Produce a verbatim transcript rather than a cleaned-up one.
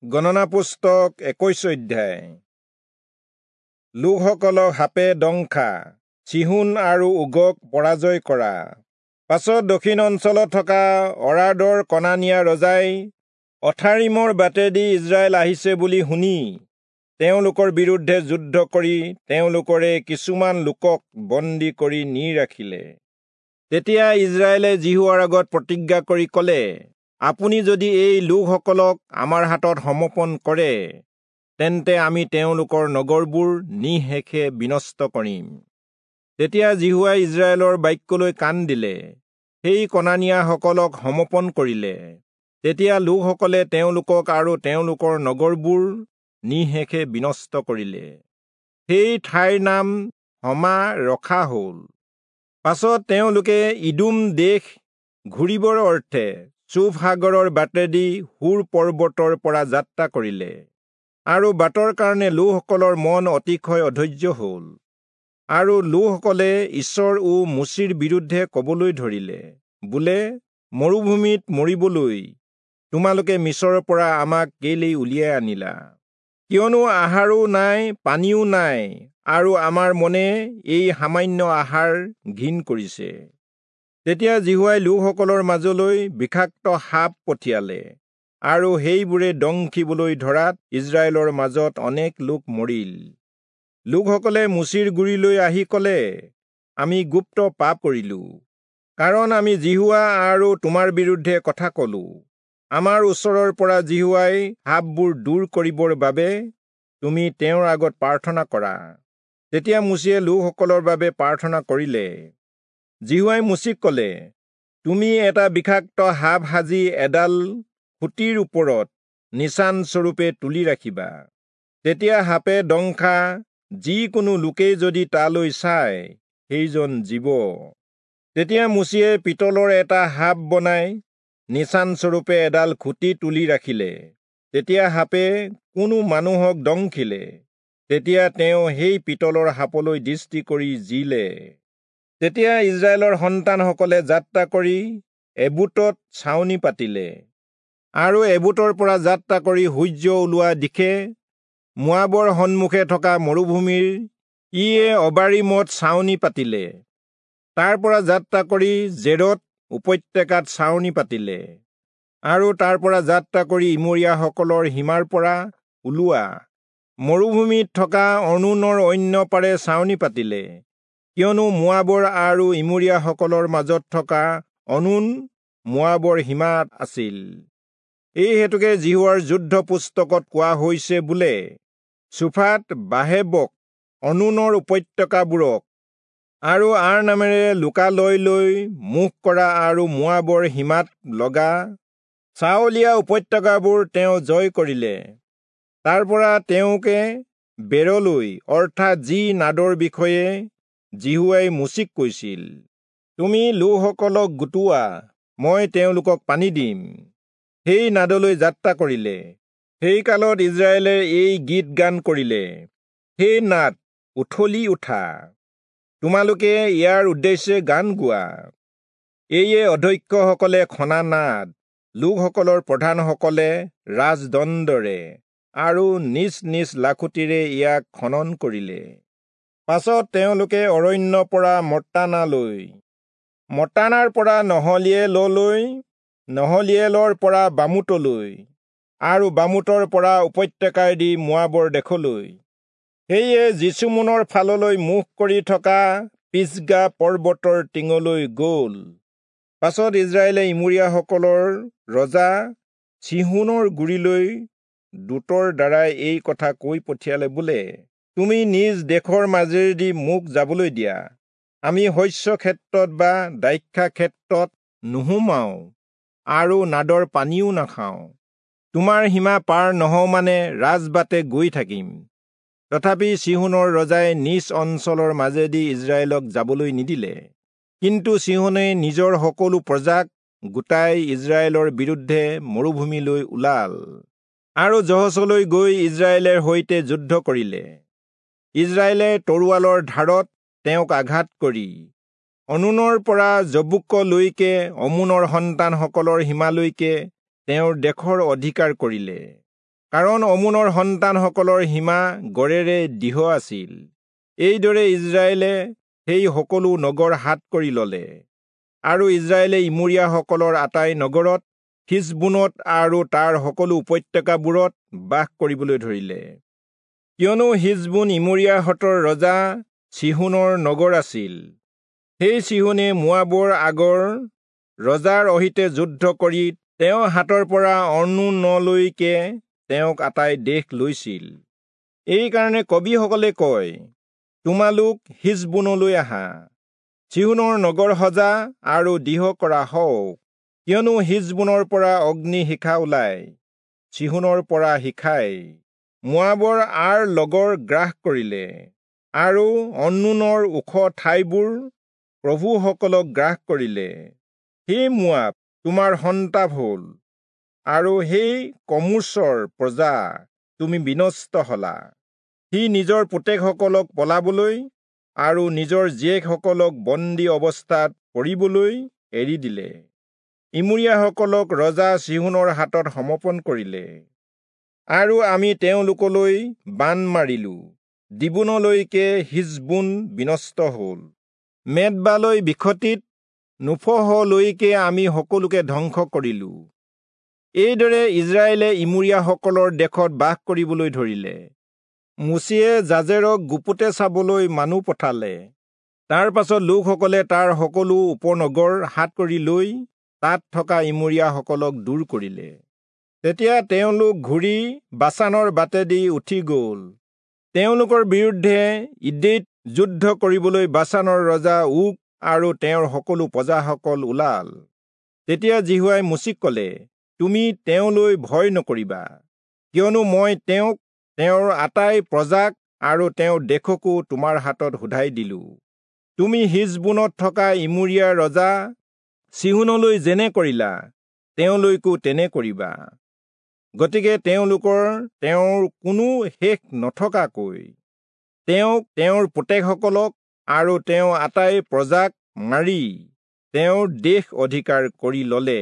গণনা পুস্তক একৈশ অধ্যায়। লোকসকলক সাপে দংশা, চিহোন আৰু ওগক পৰাজয় কৰা। পাছত দক্ষিণ অঞ্চলত থকা অৰাদৰ কনানীয়া ৰজাই অথাৰিমৰ বাটেদি ইজৰাইল আহিছে বুলি শুনি তেওঁলোকৰ বিৰুদ্ধে যুদ্ধ কৰি তেওঁলোকৰে কিছুমান লোকক বন্দী কৰি নি ৰাখিলে। তেতিয়া ইজৰাইলে যিহোৱাৰ আগত প্ৰতিজ্ঞা কৰি কলে, আপুনি যদি এই লোকসকলক আমাৰ হাতত সমৰ্পণ কৰে, তেন্তে আমি তেওঁলোকৰ নগৰবোৰ নিঃশেষে বিনষ্ট কৰিম। তেতিয়া যিহোৱাই ইজৰাইলৰ বাক্যলৈ কাণ দিলে, সেই কনানীয়াসকলক সমৰ্পণ কৰিলে। তেতিয়া লোকসকলে তেওঁলোকক আৰু তেওঁলোকৰ নগৰবোৰ নিঃশেষে বিনষ্ট কৰিলে। সেই ঠাইৰ নাম হমা ৰখা হ'ল। পাছত তেওঁলোকে ইদোম দেশ ঘূৰিবৰ অৰ্থে চুফ সাগৰৰ বাটেদি হুৰ পৰ্বতৰ পৰা যাত্ৰা কৰিলে, আৰু বাটৰ কাৰণে লোকসকলৰ মন অতিশয় অধৈৰ্য হ'ল। আৰু লোকসকলে ঈশ্বৰ ও মোচিৰ বিৰুদ্ধে কবলৈ ধৰিলে, বোলে, মৰুভূমিত মৰিবলৈ তোমালোকে মিচৰৰ পৰা আমাক কেলেই উলিয়াই আনিলা? কিয়নো আহাৰো নাই, পানীও নাই, আৰু আমাৰ মনে এই সামান্য আহাৰ ঘিণ কৰিছে। তেতিয়া যিহোৱাই লোকসকলৰ মাজলৈ বিষাক্ত সাপ পঠিয়ালে, আৰু সেইবোৰে দংশিবলৈ ধৰাত ইজৰাইলৰ মাজত অনেক লোক মৰিল। লোকসকলে মোচিৰ গুৰিলৈ আহি কলে, আমি গুপ্ত পাপ কৰিলো, কাৰণ আমি যিহোৱা আৰু তোমাৰ বিৰুদ্ধে কথা কলো। আমাৰ ওচৰৰ পৰা যিহোৱাই সাপবোৰ দূৰ কৰিবৰ বাবে তুমি তেওঁৰ আগত প্ৰাৰ্থনা কৰা। তেতিয়া মোচিয়ে লোকসকলৰ বাবে প্ৰাৰ্থনা কৰিলে। যিহোৱাই মোচিক কলে, তুমি এটা বিষাক্ত সাপ সাজি এডাল খুঁটিৰ ওপৰত নিচানস্বৰূপে তুলি ৰাখিবা। তেতিয়া সাপে দংশা যিকোনো লোকেই যদি তালৈ চায়, সেইজন জীৱ। তেতিয়া মোচিয়ে পিতলৰ এটা সাপ বনাই নিচানস্বৰূপে এডাল খুঁটি তুলি ৰাখিলে। তেতিয়া সাপে কোনো মানুহক দংশিলে, তেতিয়া তেওঁ সেই পিতলৰ সাপলৈ দৃষ্টি কৰি জীলে। তেতিয়া ইজৰাইলৰ সন্তানসকলে যাত্ৰা কৰি এবুতত ছাউনি পাতিলে, আৰু এবুতৰ পৰা যাত্ৰা কৰি সূৰ্য ওলোৱা দিশে মোৱাবৰ সন্মুখে থকা মৰুভূমিৰ ইয়ে অবাৰিমত ছাউনি পাতিলে। তাৰ পৰা যাত্ৰা কৰি জেৰত উপত্যকাত ছাউনি পাতিলে, আৰু তাৰ পৰা যাত্ৰা কৰি ইমৰীয়াসকলৰ সীমাৰ পৰা ওলোৱা মৰুভূমিত থকা অৰ্ণোনৰ অন্য পাৰে ছাউনি পাতিলে, কিয়নো মোৱাবৰ আৰু ইমৰীয়াসকলৰ মাজত থকা অৰ্ণোন মোৱাবৰ সীমাত আছিল। এই হেতুকে যিহোৱাৰ যুদ্ধ পুস্তকত কোৱা হৈছে, বোলে, চুফাত বাহেবক, অৰ্ণোনৰ উপত্যকাবোৰক আৰু আৰ নামেৰে লোকালয়লৈ মুখ কৰা আৰু মোৱাবৰ সীমাত লগা চাউলীয়া উপত্যকাবোৰ তেওঁ জয় কৰিলে। তাৰ পৰা তেওঁকে বেৰলৈ, অৰ্থাৎ যি নাদৰ বিষয়ে যিহোৱাই মোচিক কৈছিল, তুমি লোকসকলক গোটোৱা, মই তেওঁলোকক পানী দিম, সেই নাদলৈ যাত্ৰা কৰিলে। সেই কালত ইজৰাইলে এই গীত গান কৰিলে, সেই নাদ, উথলি উঠা, তোমালোকে ইয়াৰ উদ্দেশ্যে গান গোৱা। এইয়ে অধ্যক্ষসকলে খনা নাদ, লোকসকলৰ প্ৰধানসকলে ৰাজদণ্ডৰে আৰু নিজ নিজ লাখুটিৰে ইয়াক খনন কৰিলে। পাছত তেওঁলোকে অৰণ্যৰ পৰা মত্তানালৈ, মত্তানাৰ পৰা নহলিয়েললৈ, নহলিয়েলৰ পৰা বামুতলৈ, আৰু বামুতৰ পৰা উপত্যকাইদি মোৱাবৰ দেশলৈ, সেয়ে যিচুমোনৰ ফাললৈ মুখ কৰি থকা পিচগা পৰ্বতৰ টিঙলৈ গল। পাছত ইজৰাইলে ইমৰীয়াসকলৰ ৰজা চিহোনৰ গুৰিলৈ দূতৰ দ্বাৰাই এই কথা কৈ পঠিয়ালে, বোলে, তুমি নিজ দেশৰ মাজেদি মোক যাবলৈ দিয়া, আমি শস্য ক্ষেত্ৰত বা দ্ৰাক্ষা ক্ষেত্ৰত নোসোমাওঁ আৰু নাদৰ পানীও নাখাওঁ। তোমাৰ সীমা পাৰ নহওঁ মানে ৰাজবাটে গৈ থাকিম। তথাপি চিহোনৰ ৰজাই নিজ অঞ্চলৰ মাজেদি ইজৰাইলক যাবলৈ নিদিলে। কিন্তু চিহোনে নিজৰ সকলো প্ৰজাক গোটাই ইজৰাইলৰ বিৰুদ্ধে মৰুভূমিলৈ ওলাল, আৰু যহচলৈ গৈ ইজৰাইলৰ সৈতে যুদ্ধ কৰিলে। ইজৰাইলে তৰোৱালৰ ধাৰত তেওঁক আঘাত কৰি অৰ্ণোনৰ পৰা যব্বোকলৈকে অম্মোনৰ সন্তানসকলৰ সীমালৈকে তেওঁৰ দেশৰ অধিকাৰ কৰিলে। কাৰণ অমোনৰ সন্তানসকলৰ সীমা গড়েৰে দৃঢ় আছিল। এইদৰে ইস্ৰায়েলে সেই সকলো নগৰ হাত কৰি ললে। আৰু ইস্ৰায়েলে ইমোৰীয়াসকলৰ আটাই নগৰত, হিচবোনত আৰু তাৰ সকলো উপত্যকাবোৰত বাস কৰিবলৈ ধৰিলে। কিয়নো হিচবোন ইমোৰীয়াহঁতৰ ৰজা চীহোনৰ নগৰ আছিল। সেই চীহোনে মোৱাবৰ আগৰ ৰজাৰ অহিতে যুদ্ধ কৰি তেওঁৰ হাতৰ পৰা অৰ্ণোনলৈকে তেওঁক আটাই দেশ লৈছিল। এইকাৰণে কবিসকলে কয়, তোমালোক হিচবোনলৈ আহা, চীহোনৰ নগৰ সজা আৰু দৃঢ় কৰা হওক। কিয়নো হিচবোনৰ পৰা অগ্নি শিখা ওলায়, চীহোনৰ পৰা শিখাই মোৱাবৰ আৰ লগৰ গ্ৰাস কৰিলে, আৰু অৰ্ণোনৰ ওখ ঠাইবোৰ প্ৰভুসকলক গ্ৰাস কৰিলে। হে মোৱাব, তোমাৰ সন্তাপ হল, আৰু সেই কমোচৰ প্ৰজা, তুমি বিনষ্ট হলা। সি নিজৰ পুতেকসকলক পলাবলৈ আৰু নিজৰ জীয়েকসকলক বন্দী অৱস্থাত পৰিবলৈ এৰি দিলে। ইমোৰীয়াসকলক ৰজা চীহোনৰ হাতত সমৰ্পণ কৰিলে, আৰু আমি তেওঁলোকলৈ বাণ মাৰিলো। দীবোনলৈকে হিচবোন বিনষ্ট হল। মেদবালৈ বিখতিত নোফহলৈকে আমি সকলোকে ধ্বংস কৰিলো। এইদৰে ইস্ৰায়েলে ইমোৰীয়াসকলৰ দেশত বাস কৰিবলৈ ধৰিলে। মোচিয়ে জাজেৰক গুপুতে চাবলৈ মানুহ পঠালে। তাৰ পাছত লোকসকলে তাৰ সকলো উপনগৰ হাত কৰি লৈ তাত থকা ইমোৰীয়াসকলক দূৰ কৰিলে। তেতিয়া তেওঁলোক ঘূৰি বাচানৰ বাটেদি উঠি গল। তেওঁলোকৰ বিৰুদ্ধে ইদেইত যুদ্ধ কৰিবলৈ বাচানৰ ৰজা ওগ আৰু তেওঁৰ সকলো প্ৰজাসকল ওলাল। তেতিয়া যিহোৱাই মোচিক কলে, তুমি তেওঁলৈ ভয় নকৰিবা, কিয়নো মই তেওঁক, তেওঁৰ আটাই প্ৰজাক আৰু তেওঁৰ দেশকো তোমাৰ হাতত শোধাই দিলো। তুমি হিচবোনত থকা ইমোৰীয়া ৰজা চীহোনলৈ যেনে কৰিলা, তেওঁলৈকো তেনে কৰিবা। গতিকে তেওঁলোকৰ তেওঁৰ কোনো শেষ নথকাকৈ তেওঁক, তেওঁৰ পুতেকসকলক আৰু তেওঁ আটাই প্ৰজাক মাৰি তেওঁৰ দেশ অধিকাৰ কৰি ললে।